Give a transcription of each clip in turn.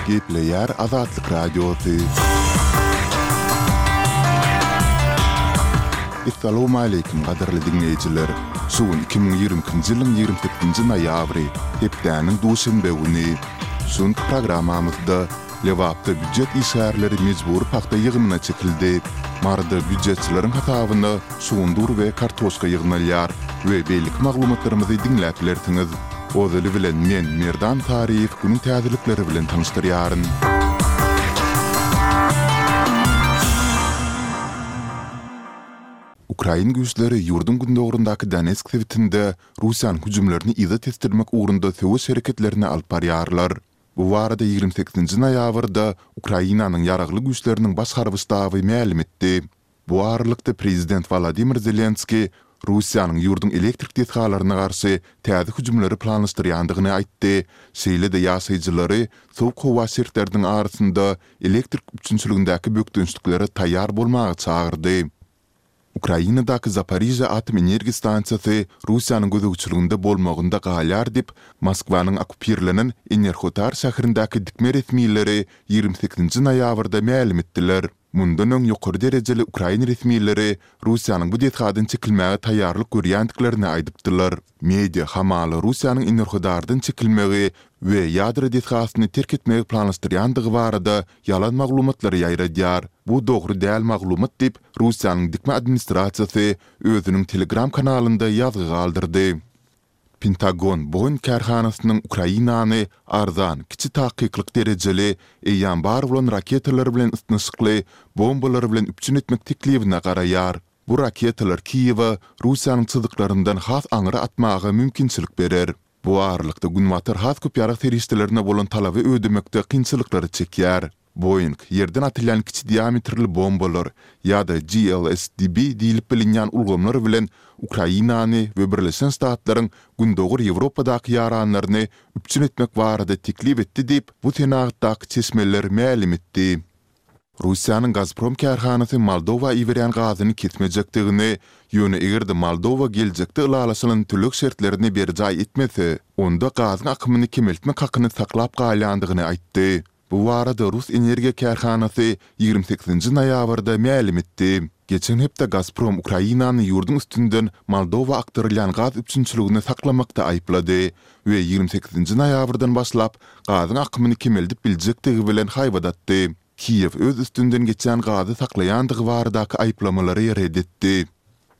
Gepleýär Azatlyk Radiosy. Essalawmaleýkim gadyrly diňleýjiler! Şu gün 2022-nji ýylyň 28-nji noýabry, hepdäniň duşenbe güni. Şu günki programmamyzda Lebapda býujet işgärleri mejbury pagta ýygymyna çekildi. Maryda býujetçileriň hasabyna şugundyr we kartoşka ýygnalýar we beýleki maglumatlarymyzy diňläp bilersiňiz. Ozaly bilen men, Merdan Saryýew günüň täzelikleri bilen tanyşdyrýaryn. Ukrain güýçleri ýurduň gündogaryndaky Donetsk sebitinde Russiýanyň hüjümlerini yza tesdirmek ugrunda söweş hereketlerini alyp barýarlar. Bu barada 28 nji noýabrda Ukrainanyň Ýaragly Güýçleriniň Baş harby ştaby mälim etdi. Bu aralykda, prezident Wolodymyr Zelenskiý Russiýanyň ýurduň elektrik desgalaryna garşy täze hüjümleri planlaşdyrýandygyny aýtdy, şeýle-de ýaşaýjylary sowuk howa şertleriniň arasynda elektrik üpjünçiligindäki bökdençliklere taýýar bolmaga çagyrdy. Ukrainadaky Zaporižýa atom energiýa stansiýasy Russiýanyň gözegçiliginde bolmagynda galýar diýip, Moskwanyň okkupirlenen Enerhotar şäherindäki dikme resmileri 28-nji noýabrda mälim etdiler. Mundan öň ýokary derejeli ukrain resmileri Russiýanyň bu desgadan çekilmäge taýýarlyk görýändiklerini aýdypdylar. Media hamala Russiýanyň Enerhodardan çekilmegi we ýadro desgasyny terk etmegi planlaşdyrýandygy barada ýalan maglumatlary ýaýradýar. Bu dogry däl maglumat diýip, Russiýanyň dikme administrasiýasy özüniň Telegram kanalynda ýazgy galdyrdy. Pentagon Boeing kärhanasynyň Ukrainany arzan, kiçi takyklyk derejeli, eýýäm bar bolan raketalar bilen ysnyşykly bombalar bilen üpjün etmek teklibine garaýar. Bu raketalar Kiýewe Russiýanyň çyzyklaryndan has aňry atmaga mümkinçilik berer. Bu aralykda, Günbatar has köp ýarag serişdelerine bolan talaby ödemekde kynçylyklary çekýär. Boeing, ýerden atylýan kiçi diametrli bombalar ýa-da GLSDB diýlip bilinýän ulgamlar bilen Ukrainany we Birleşen Ştatlaryň Gündogar Ýewropadaky ýaranlaryny üpjün etmek barada teklip etdi diýip, bu senagatdaky çeşmeler mälim etdi. Russiýanyň Gazprom kärhanasy Moldowa iberýän gazyny kesmejekdigini, ýöne eger-de Moldowa geljekde ylalaşylan töleg şertlerini berjaý etmese, onda gazyň akymyny kemeltmek hakyny saklap galýandygyny aýtdy. Bu barada rus energiýa kärhanasy 28-nji noýabrda mälim etdi. Geçen hepde Gazprom Ukrainany ýurduň üstünden Moldowa akdyrylýan gaz üpjünçiligini saklamakda aýyplady we 28-nji noýabrdan başlap gazyň akymyny kemeldip biljekdigi bilen haýbat atdy. Kiýew öz üstünden geçýän gazy saklaýandygy baradaky aýyplamalary ret etdi.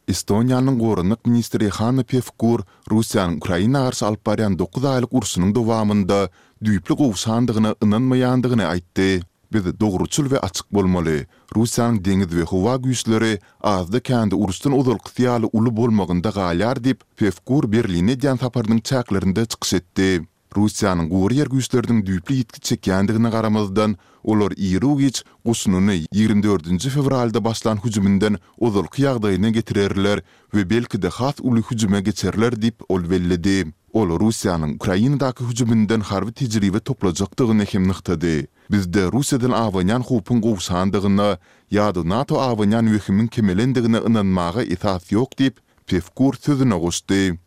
Estoniýanyň goranmak ministri Hanno Pevkur Russiýanyň Ukraina garşy alyp barýan dokuz aýlyk urşunyň dowamynda düýpli gowşandygyna ynanmaýandygyny aýtdy. Biz dogruçyl we açyk bolmaly. Russiýanyň deňiz we howa güýçleri azda-kände uruşdan ozalkysy ýaly uly bolmagynda galýar diýip, Pevkur Berline edýän saparynyň çäklerinde çykyş etdi. Russiýanyň gury ýer güýçleriniň düýpli ýitgi çekýändigine garamazdan, olar iru-giç goşunyny 24 nji fewralda başlan hüjüminden ozalky ýagdaýyna getirerler we belki-de has uly hüjüme geçerler diýip, ol belledi. Ol Russiýanyň Ukrainadaky hüjüminden harby tejribe toplajakdygyny hem nygtady. Bizde Russiýadan abanýan howpuň gowşandygyna ýa-da NATO abanýan wehimiň kemelendigine ynanmaga esas ýok diýip, Pevkur sözüne goşdy.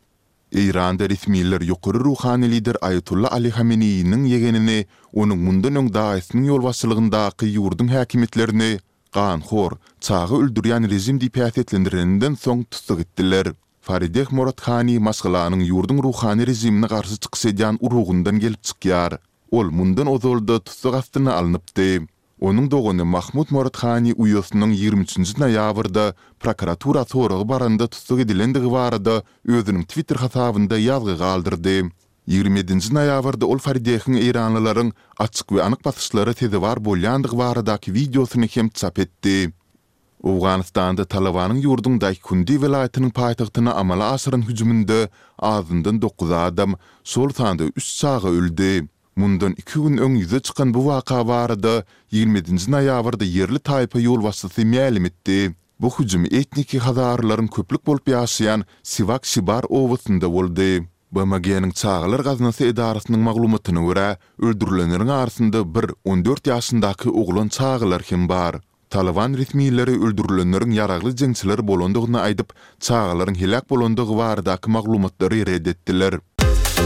Eýranda resmiler ýokary ruhany lider Aýatolla Ali Hameneýiniň ýegenini onuň mundan öň daýysynyň ýolbaşçylygyndaky ýurduň häkimiýetlerini ganhor, çaga öldürýän režim diýip häsiýetlendireninden soň tussag etdiler. Farideh Moradhani maşgalanyň ýurduň ruhany režimine garşy çykyş edýän urugyndan gelip çykýar. Ol mundan ozal-da tussag astyna alnypdy. Onuň dogany Mahmud Moradhani uýasynyň 23 nji noýabrda prokuratura soraga baranda tussag edilendigi barada özüniň Twitter hasabynda ýazgy galdyrdy. 27 nji noýabrda ol Faridehiň eýranlylaryň açyk we anyk basyşlara sezewar bolýandygy baradaky wideosyny hem çap etdi. Owganystanda Talybanyň ýurduň Daýkundi welaýatynyň paýtagtyna amala aşyran hüjüminde azyndan dokuz adam, şol sanda üç çaga öldi. Mundan iki gün öň ýüze çykan bu waka barada 27 nji noýabrda ýerli taýpa ýolbaşçysy mälim etdi. Bu hüjüm etniki hazarylaryň köplük bolup ýaşaýan Siwak-Şibar obasynda boldy. BMG-niň Çagalar gaznasy edarasynyň maglumatyna görä, öldürilenleriň arasynda bir 14 ýaşyndaky oglan çagalar hem bar. Talyban resmileri öldürilenleriň ýaragly jeňçiler bolandygyny aýdyp, çagalaryň heläk bolandygy baradaky maglumatlary ret etdiler.